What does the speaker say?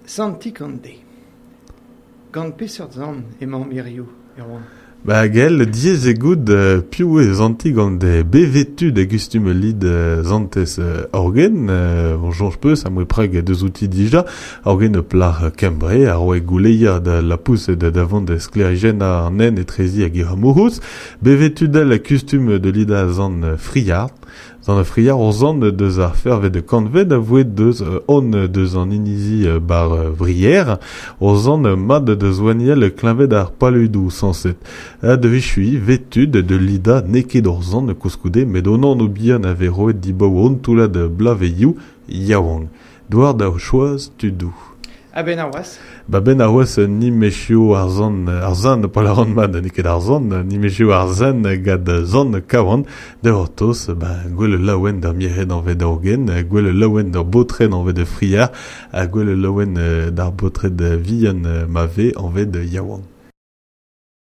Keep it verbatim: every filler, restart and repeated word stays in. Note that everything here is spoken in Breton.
Santik an de. Gant peseurt zant emañ hiziv, Erwan? Ba gell, diaes eo goût euh, piv eo Santig an de bevetu da gustum lid euh, zantez euh, orgen, euh, bon soñj peus am boa preg deus outi dija, orgen plac'h Kembre, a roe gouleier da lapous da davant da sklêrijenn an nen etrezi hag e amourouz, bevetu del kustum de lida zant friard, Zant friard o zant deus ar fervet de kantved a voe deus on deus an inizi bar vrier, o zant mad deus oaniel kleñved ar paludou sañset. A de vichui vetud de lida neket ur zant koulskoude met onan o bihan a vez roet dibaoe an toullad blaveioù yaouank. Douar da choaz tudou. A-benn ar wazh. Ba ben ar wazh ni mechio ar zant, ar zant pa lâran mat, n'eo ket ar zant, ni mechio ar zant gant zant kawan, da c'hortoz, ba gwell laouen d'ar mired anvet orgen, gwell laouen d'ar baotred anvet friard, ha gwell laouen d'ar baotred vihan ma vez anvet yaouank.